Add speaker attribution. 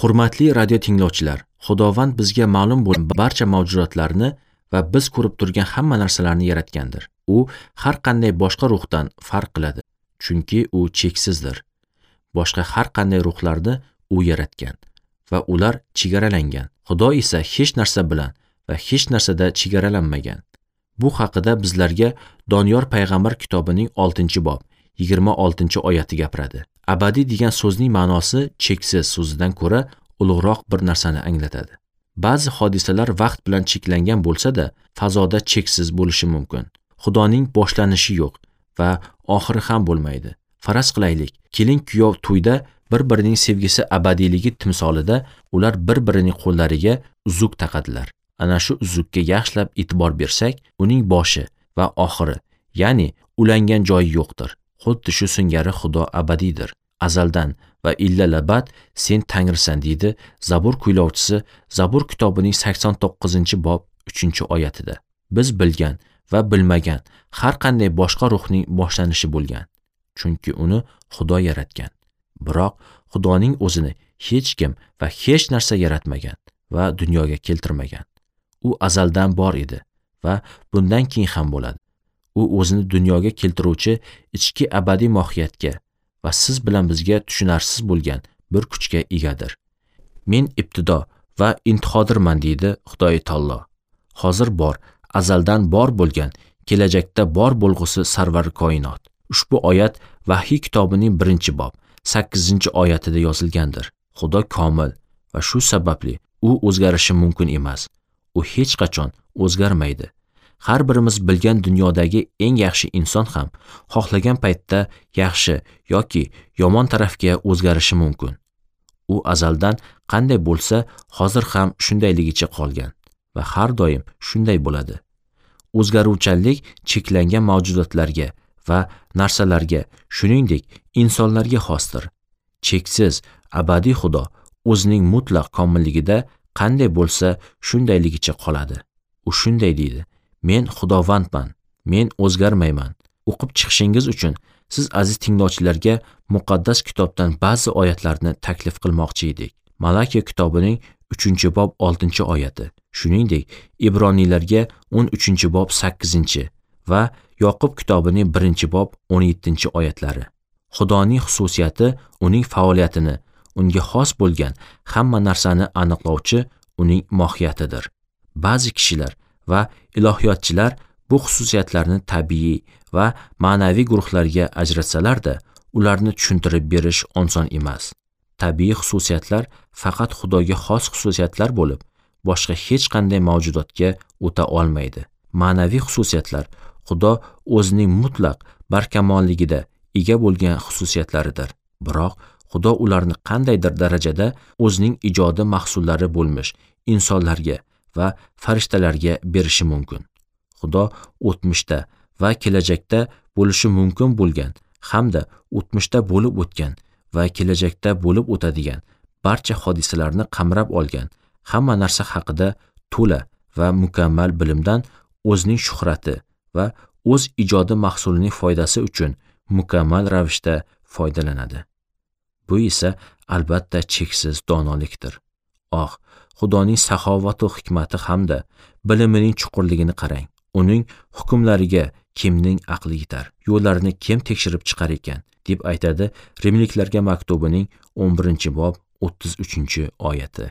Speaker 1: Hurmatli radio tinglovchilar, Xudovand bizga ma'lum bo'lgan barcha mavjudotlarni va biz ko'rib turgan hamma narsalarni yaratgandir. U har qanday boshqa ruhdan farq qiladi, chunki u cheksizdir. Boshqa har qanday ruhlarni u yaratgan va ular chegaralangan. Xudo esa hech narsa bilan va hech narsada chegaralanmagan. Bu haqida bizlarga Doniyor payg'ambar kitobining 6-bob 26-oyati gapiradi. Abadiy degan so'zning ma'nosi cheksiz so'zidan ko'ra ulug'roq bir narsani anglatadi. Ba'zi hodisalar vaqt bilan cheklangan bo'lsa-da, fazoda cheksiz bo'lishi mumkin. Xudoning boshlanishi yo'q va oxiri ham bo'lmaydi. Faraz qilaylik, kelin-kuyov to'yda bir-birining sevgisi abadiyligi timsolida ular bir-birining qo'llariga uzuk taqadilar. Ana shu uzukka yaxshilab e'tibor bersak, uning boshi va oxiri, ya'ni ulangan joyi yo'qdir. Xuddi shu singari Xudo abadiydir. Azaldan va illalabad sen Tangrisan, deydi Zabur kuylovchisi Zabur kitobining 89-bob 3-oyatida. Biz bilgan va bilmagan har qanday boshqa ruhning boshlanishi bo'lgan, chunki uni Xudo yaratgan. Biroq Xudoning o'zini hech kim va hech narsa yaratmagan va dunyoga keltirmagan. U azaldan bor edi va bundan keyin ham bo'ladi. U o'zini dunyoga keltiruvchi ichki abadiy mohiyatga va siz bilan bizga tushunarsiz bo'lgan bir kuchga egadir. Men ibtido va intihodirman, deydi Xudoy taolo. Hozir bor, azaldan bor bo'lgan, kelajakda bor bo'lg'usi sarvar koinot. Ushbu oyat Vahiy kitobining 1-bob 8-oyatida yozilgandir. Xudo komil va shu sababli u o'zgarishi mumkin emas. U hech qachon o'zgarmaydi. Har birimiz bilgan dunyodagi eng yaxshi inson ham xohlagan paytda yaxshi yoki yomon tarafga o'zgarishi mumkin. U azaldan qanday bo'lsa, hozir ham shundayligicha qolgan va har doim shunday bo'ladi. O'zgaruvchanlik cheklangan mavjudotlarga va narsalarga, shuningdek, insonlarga xosdir. Cheksiz abadiy Xudo o'zining mutlaq komilligida qanday bo'lsa, shundayligicha qoladi. U shunday deydi: Men Xudovandman, men o'zgarmayman. O'qib chiqishingiz uchun siz aziz tinglovchilarga muqaddas kitobdan ba'zi oyatlarni taklif qilmoqchi edik. Malakiya kitobining 3-bob 6-oyati, shuningdek, Ibroniylarga 13-bob 8 va Yoqub kitobining 1-bob 17-oyatlari. Xudoning xususiyati uning faoliyatini, unga xos bo'lgan hamma narsani aniqlovchi uning mohiyatidir. Ba'zi kishilar va ilohiyotchilar bu xususiyatlarni tabiiy va ma'naviy guruhlarga ajratsalar-da, ularni tushuntirib berish oson emas. Tabiiy xususiyatlar faqat Xudoga xos xususiyatlar bo'lib, boshqa hech qanday mavjudotga o'ta olmaydi. Ma'naviy xususiyatlar Xudo o'zining mutlaq barkamolligida ega bo'lgan xususiyatlaridir. Biroq Xudo ularni qandaydir darajada o'zining ijodi mahsullari bo'lmish insonlarga va farishtalarga berishi mumkin. Xudo o'tmishda va kelajakda bo'lishi mumkin bo'lgan hamda o'tmishda bo'lib o'tgan va kelajakda bo'lib o'tadigan barcha hodisalarni qamrab olgan hamma narsa haqida to'la va mukammal bilimdan o'zining shuhrati va o'z ijodi mahsulining foydasi uchun mukammal ravishda foydalanadi. Bu esa albatta cheksiz donolikdir. Oh, Xudoning saxovatu hikmati hamda bilimining chuqurligini qarang. Uning hukmlariga kimning aqli yetar? Yo'llarini kim tekshirib chiqar ekan? Deb aytadi Rimliklarga maktubining 11-bob 33-oyati.